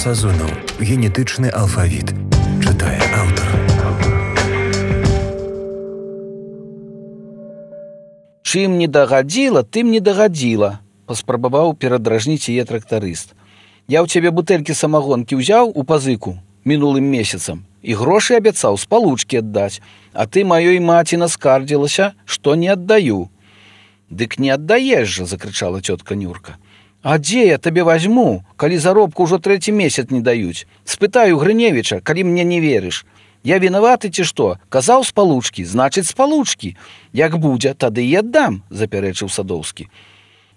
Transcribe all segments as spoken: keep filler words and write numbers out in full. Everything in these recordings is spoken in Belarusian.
Сазонаў. Генетычны алфавіт. Чытае аўтар. Чым не дагадзіла, тым не дагадзіла, паспрабаваў перадражніць яе трактарыст. Я ў цябе бутэлькі самагонкі ўзяў у пазыку мінулым месяцам і грошы абяцаў з палучкі аддаць, а ты маёй маці наскардзілася, што не аддаю. Дык не аддаеш жа, закрычала цётка Нюрка. А дзе я табе вазьму, калі заробку ўжо трэці месяц не даюць? Спытаю Грыневіча, калі мне не верыш. Я вінаваты ці што? Казаў з палучкі, значыць з палучкі. Як будзе, тады і аддам, запярэчыў Садоўскі.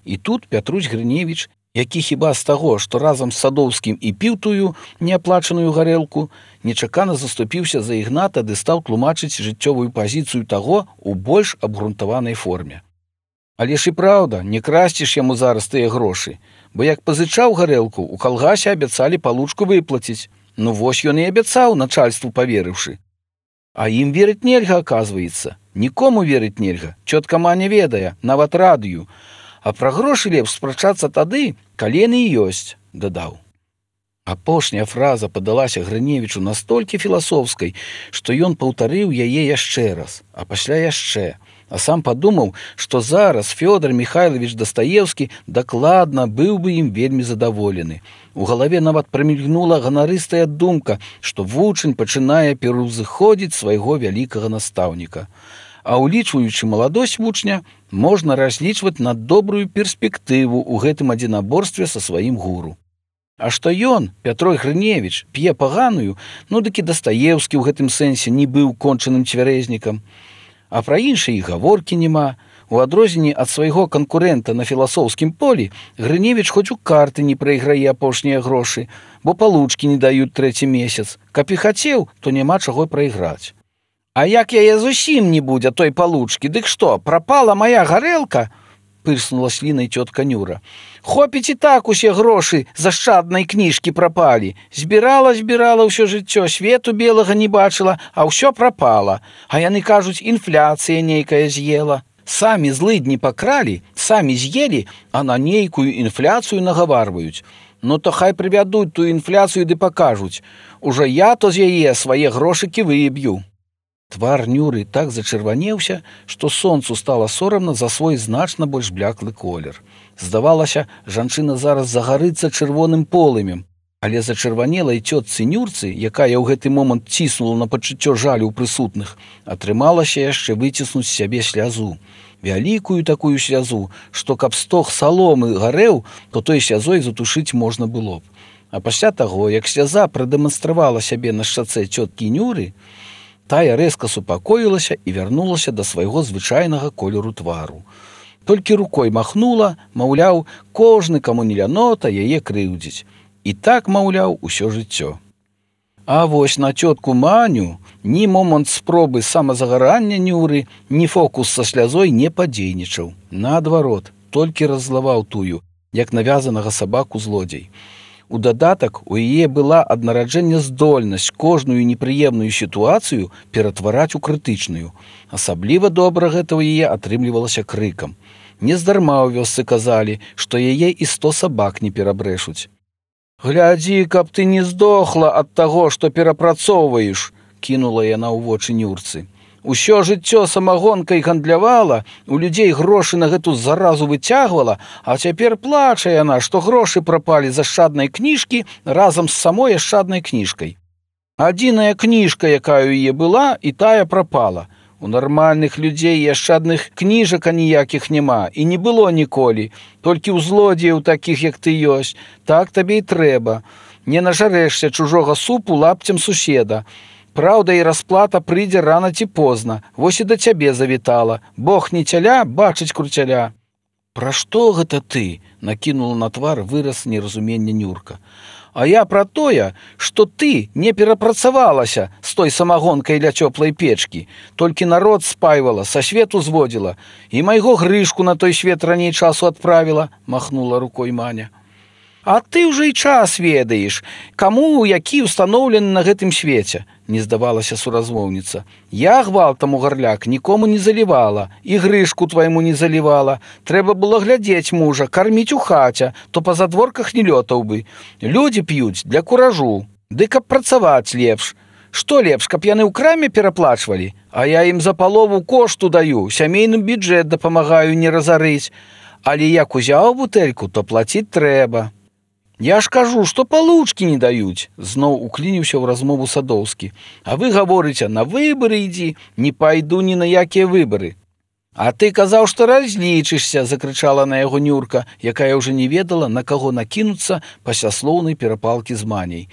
І тут Пятрусь Грыневіч, які хіба з таго, што разам з Садоўскім і піў тую неаплачаную гарэлку, нечакана заступіўся за Ігната ды стаў тлумачыць жыццёвую пазіцыю таго ў больш абгрунтаванай форме. Але ж і праўда, не красціш яму зараз тыя грошы, бо як пазычаў гарэлку, у калгасе абяцалі палучку выплаціць. Ну вось ён і абяцаў начальству паверыўшы. А ім верыць нельга, аказваецца. Нікому верыць нельга, цётка Маня ведае, нават радыю. А пра грошы лепш спрачацца тады, калі яны ёсць, дадаў. Апошняя фраза падалася Грыневічу настолькі філасофскай, што ён паўтарыў яе яшчэ раз, а пасля яшчэ. А сам падумаў, што зараз Фёдор Михайлович Дастаевскі дакладна быў бы ім вельмі задаволены. У галаве нават прамільгнула ганарыстая думка, што вучань пачынае пераўзыходзіць свайго вялікага настаўніка. А ўлічваючы маладосць вучня, можна разлічваць на добрую перспектыву ў гэтым адзінаборстве са сваім гуру. А што ён, Пятрой Грыневіч, п'е паганую, ну дык і Дастаевскі ў гэтым сэнсе не быў кончаным цвярэзнікам. А пра іншыя і гаворкі няма. У адрозненні ад свайго канкурэнта на філасофскім полі Грыневіч хоць у карты не прайграе апошнія грошы, бо палучкі не даюць трэці месяц. Каб і хацеў, то няма чаго прайграць. А як яе зусім не будзе той палучкі, дык што, прапала мая гарэлка? Пырснула слінай цётка Нюра. Хопіць і так усе грошы з ашчаднай кніжкі прапалі. Збірала, збірала ўсё жыццё, свету белага не бачыла, а ўсё прапала. А яны кажуць, інфляцыя нейкая з'ела. Самі злыдні пакралі, самі з'елі, а на нейкую інфляцыю нагаварваюць. Ну то хай прывядуць тую інфляцыю ды пакажуць. Ужо я то з яе свае грошыкі выб'ю. Твар Нюры так зачырванеўся, што сонцу стала сорамна за свой значна больш бляклы колер. Здавалася, жанчына зараз загарыцца чырвоным полымем, але зачырванелай цётцы Нюрцы, якая ў гэты момант ціснула на пачуццё жалю ў прысутных, атрымалася яшчэ выціснуць з сябе слязу. Вялікую такую слязу, што каб стог саломы гарэў, то той слязой затушыць можна было б. А пасля таго, як сляза прадэманстравала сябе на шчацэ цёткі Нюры, тая рэзка супакоілася і вярнулася да свайго звычайнага колеру твару. Толькі рукой махнула, маўляў, кожны, каму не лянота, яе крыўдзіць. І так, маўляў, усё жыццё. А вось на цётку Маню ні момант спробы самазагарання Нюры, ні фокус са слязой не падзейнічаў. Наадварот, толькі раззлаваў тую, як навязанага сабаку злодзей. У дадатак у яе была ад нараджэння здольнасць кожную непрыемную сітуацыю ператвараць у крытычную. Асабліва добра гэта ў яе атрымлівалася крыкам. Нездарма ў вёсцы казалі, што яе і сто сабак не перабрэшуць. «Глядзі, каб ты не здохла ад таго, што перапрацоўваеш», кінула яна ў вочы Нюрцы. Усё жыццё самагонкай гандлявала, у людзей грошы на гэту заразу выцягвала, а цяпер плача яна, што грошы прапалі з ашчаднай кніжкі разам з самой ашчаднай кніжкай. Адзіная кніжка, якая ў яе была, і тая прапала. У нармальных людзей і ашчадных кніжак аніякіх няма, і не было ніколі. Толькі ў злодзеяў такіх, як ты ёсць. Так табе і трэба. Не нажарэшся чужога супу лапцем суседа. Праўда, і расплата прыйдзе рана ці позна. Вось і да цябе завітала. Бог не цяля, бачыць круцяля. Пра што гэта ты? Накінула на твар выраз неразумення Нюрка. А я пра тое, што ты не перапрацавалася з той самагонкай ля цёплай печкі. Толькі народ спайвала, са свету зводзіла. І майго Грышку на той свет раней часу адправіла, махнула рукой Маня. А ты ўжо і час ведаеш, каму які ўстаноўлены на гэтым свеце. не здавалася суразмоўніца. Я гвалтам у гарляк нікому не залівала, і грышку твайму не залівала. Трэба было глядзець мужа, карміць у хаце, то па задворках не лётаў бы. Людзі п'юць для куражу, ды каб працаваць лепш. Што лепш, каб яны ў краме пераплачвалі, а я ім за палову кошту даю, сямейным бюджэт дапамагаю не разарыць. Але як узяў бутэльку, то плаціць трэба. Я ж кажу, што палучкі не даюць, зноў уклініўся ў размову Садоўскі. А вы гаворыце, на выбары ідзі, не пайду ні на якія выбары. А ты казаў, што разлічышся, закрычала на яго Нюрка, якая ўжо не ведала, на каго накінуцца пасля слоўнай перапалкі з маняй.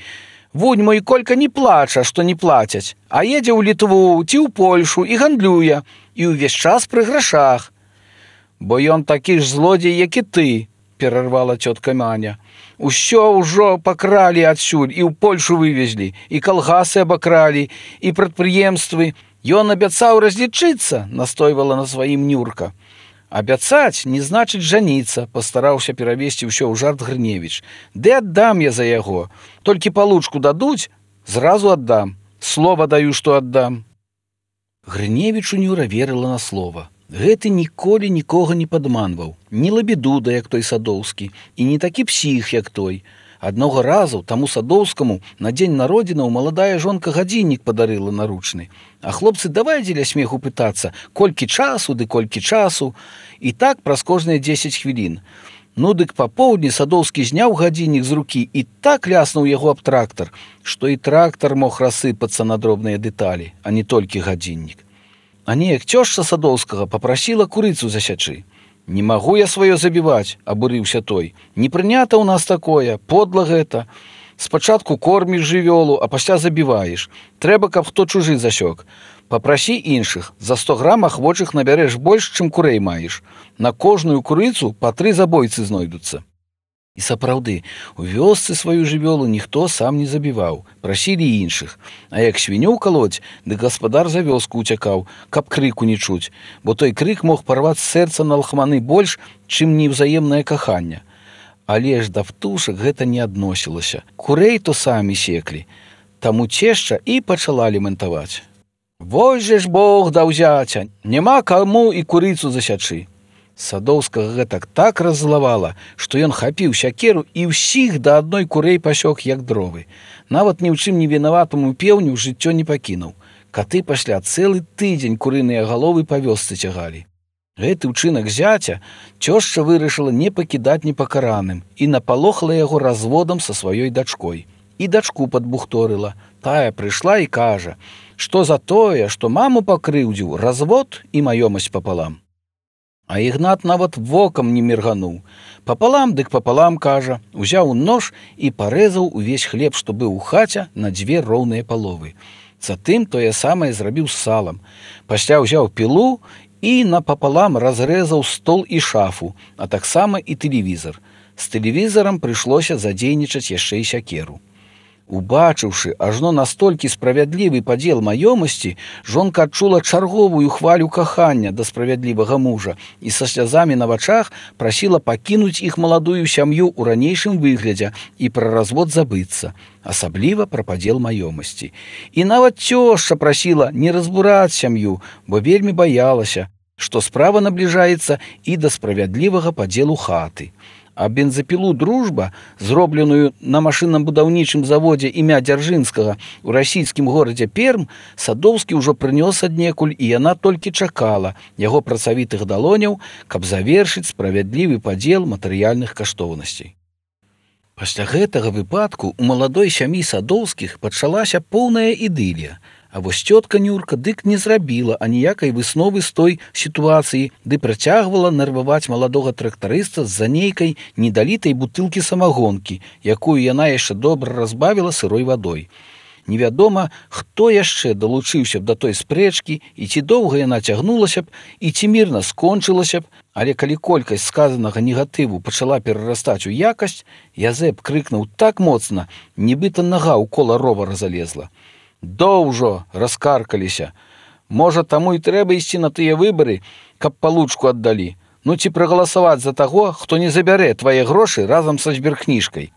Вунь мой Колька не плача, што не плацяць, а едзе ў Літву ці ў Польшу і гандлюе, і ўвесь час пры грашах. Бо ён такі ж злодзей, як і ты, перарвала цётка Маня. Усё ўжо пакралі адсюль, і ў Польшу вывезлі, і калгасы абакралі, і прадпрыемствы. Ён абяцаў разлічыцца, настойвала на сваім Нюрка. Абяцаць не значыць жаніцца, пастараўся перавесці ўсё ў жарт Грыневіч. Ды аддам я за яго. Толькі палучку дадуць, зразу аддам. Слова даю, што аддам. Грыневічу Нюра верыла на слова. Гэты ніколі нікога не падманваў, не лабідуда, як той Садоўскі, і не такі псіх, як той. Аднога разу таму Садоўскаму на дзень народзінаў маладая жонка гадзіннік падарыла наручны. А хлопцы давай дзеля смеху пытацца, колькі часу ды колькі часу. І так праз кожныя дзесяць хвілін. Ну дык папоўдні Садоўскі зняў гадзіннік з рукі і так ляснуў яго аб трактар, што і трактар мог рассыпацца на дробныя дэталі, а не толькі гадзіннік. А неяк цёшча Садоўскага папрасіла курыцу засячы. Не магу я сваё забіваць, абурыўся той. Не прынята ў нас такое, подла гэта. Спачатку корміш жывёлу, а пасля забіваеш. Трэба, каб хто чужы засёк. Папрасі іншых, за сто грам ахвочых набярэш больш, чым курэй маеш. На кожную курыцу па тры забойцы знойдуцца. І сапраўды, у вёсцы сваю жывёлу ніхто сам не забіваў, прасілі іншых. А як свінёў калоць, дык гаспадар за вёску ўцякаў, каб крыку не чуць, бо той крык мог парваць сэрца на лахманы больш, чым неўзаемнае каханне. Але ж да птушак гэта не адносілася. Курэй то самі секлі. Таму цешча і пачала лемантаваць. Вось же ж Бог даў зяця, няма каму і курыцу засячы. Садоўскага гэтак так раззлавала, што ён хапіў сякеру і ўсіх да адной курэй пасёк, як дровы. Нават ні ў чым не вінаватаму пеўню жыццё не пакінуў. Каты пасля цэлы тыдзень курыныя галовы па вёсцы цягалі. Гэты ўчынак зяця цёшча вырашыла не пакідаць непакараным і напалохала яго разводам са сваёй дачкой. І дачку падбухторыла. Тая прыйшла і кажа, што за тое, што маму пакрыўдзіў, развод і маёмасць папалам. А Ігнат нават вокам не міргануў. Папалам дык папалам, кажа, узяў нож і парэзаў увесь хлеб, што быў у хаце, на дзве роўныя паловы. Затым тое самае зрабіў з салам. Пасля ўзяў пілу і напапалам разрэзаў стол і шафу, а таксама і тэлевізар. З тэлевізарам прыйшлося задзейнічаць яшчэ і сякеру. Убачыўшы ажно настолькі справядлівы падзел маёмасці, жонка адчула чарговую хвалю кахання да справядлівага мужа і са слязамі на вачах прасіла пакінуць іх маладую сям'ю ў ранейшым выглядзе і пра развод забыцца, асабліва пра падзел маёмасці. І нават цёшча прасіла не разбураць сям'ю, бо вельмі баялася, што справа набліжаецца і да справядлівага падзелу хаты. А бензапілу «Дружба», зробленую на машынна-будаўнічым заводзе імя Дзяржынскага ў расійскім горадзе Перм, Садоўскі ўжо прынёс аднекуль, і яна толькі чакала яго працавітых далоняў, каб завершыць справядлівы падзел матэрыяльных каштоўнасцей. Пасля гэтага выпадку у маладой сям'і Садоўскіх пачалася поўная ідылія. А вось цётка Нюрка дык не зрабіла аніякай высновы з той сітуацыі, ды працягвала нерваваць маладога трактарыста з-за нейкай недалітай бутылкі самагонкі, якую яна яшчэ добра разбавіла сырой вадой. Невядома, хто яшчэ далучыўся б да той спрэчкі, і ці доўга яна цягнулася б, і ці мірна скончылася б, але калі колькасць сказанага негатыву пачала перарастаць у якасць, Язэп крыкнуў так моцна, нібыта нага ў кола ровара залезла. Доўжо раскаркаліся. Можа, таму і трэба ісці на тыя выбары, каб палучку аддалі. Ну ці прагаласаваць за таго, хто не забярэ твае грошы разам са зберкніжкай.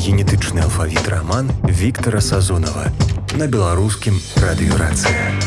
Генетычны алфавіт раман Віктара Сазонава на беларускім радыёрацыя.